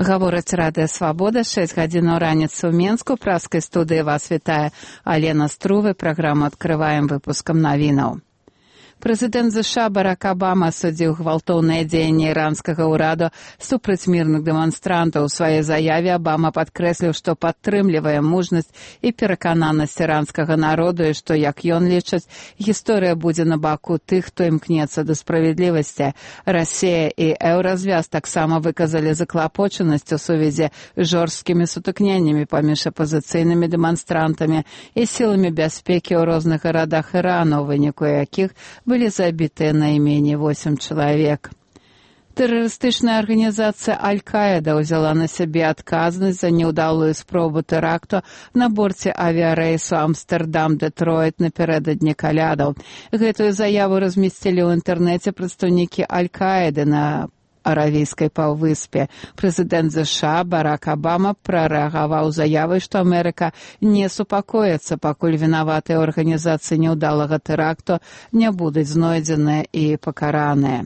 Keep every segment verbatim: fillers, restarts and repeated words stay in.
Гаворыць Радыё Свабода, шэсць гадзінаў раніцы ў Менску. Праскай студыі вас вітае Алена Струвы. Праграму адкрываем выпускам навінаў. Прэзідэнт ЗША Барак Абама асудзіў гвалтоўныя дзеянні іранскага ўраду супраць мірных дэманстрантаў. У сваёй заяве Абама падкрэсліў, што падтрымлівае мужнасць і перакананасць іранскага народу і што, як ён лічыць, гісторыя будзе на баку тых, хто імкнецца да справядлівасці. Расія і Еўразвяз таксама выказалі заклапочанасць у сувязі з жорсткімі сутыкненнямі паміж апазіцыйнымі дэманстрантамі і сіламі бяспекі ў розных гарадах Ірану, у выніку якіх былі забітыя найменей восем чалавек. Тэрарыстычная арганізацыя Аль-Каіда ўзяла на сябе адказнасць за няўдалую спробу тэракту на борце авіярэйсу Амстэрдам-Дэтройт напярэдадні калядаў. Гэтую заяву размесцілі ў інтэрнэце прадстаўнікі Аль-Каіды на Аравійскай паўвыспе. Прэзідэнт ЗША Барак Абама прарэагаваў заявай, што Амерыка не супакоіцца, пакуль вінаватыя ў арганізацыі няўдалага тэракту не будуць знойдзеныя і пакараныя.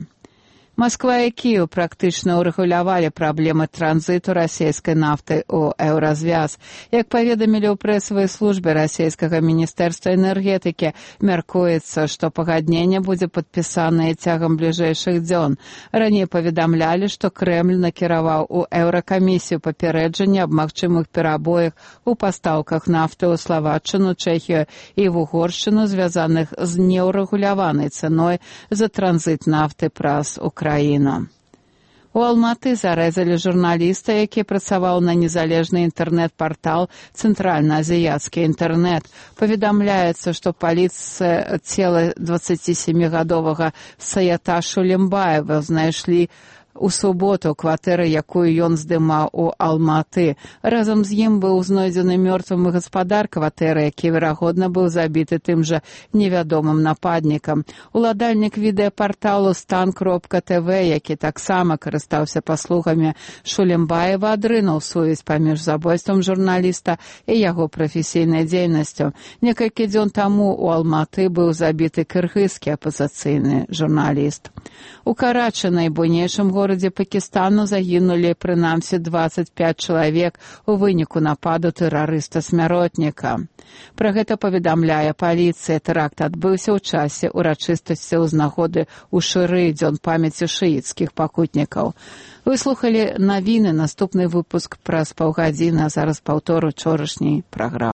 Масква і Кіеў практычна ўрэгулявалі праблемы транзіту расійскай нафты ў Еўразвяз. Як паведамілі ў прэсавай службе расійскага міністэрства энергетыкі, мяркуецца, што пагадненне будзе падпісанае цягам бліжэйшых дзён. Раней паведамлялі, што Крэмль накіраваў у Еўракамісію папярэджанне аб магчымых перабоях у пастаўках нафты ў Славаччыну, Чэхію і в Угоршчыну, звязаных з неўрэгуляванай цэной за транзіт нафты праз Украіну. У Алматы зарэзалі журналіста, які працаваў на незалежны інтэрнэт-партал «Цэнтральна-азіяцкі інтэрнэт». Паведамляецца, што паліцыя цела дваццацісемігадовага Саята Шулембаева знайшлі у суботу кватэры, якую ён здымаў у Алматы. Разам з ім быў знойдзены мёртвым гаспадар кватэры, які, верагодна, быў забіты тым жа невядомым нападнікам. Уладальнік відэапарталу стан кропка тэ вэ, які таксама карыстаўся паслугамі Шулембаева, адрынуў сувязь паміж забойствам журналіста і яго прафесійнай дзейнасцю. Некалькі дзён таму у Алматы быў забіты кыргызскі апазіцыйны журналіст. У Карачы, найбуйнейшым горадзе Пакістану, загінулі прынамсі дваццаць пяць чалавек у выніку нападу тэрарыста-смяротніка. Пра гэта паведамляе паліцыя. Тэракт адбыўся ў часе урачыстасці ў нагоды ў Шыры, дзён памяці шыіцкіх пакутнікаў. Вы слухалі навіны, наступны выпуск праз паўгадзіны, а зараз паўтор учорашняй праграмы.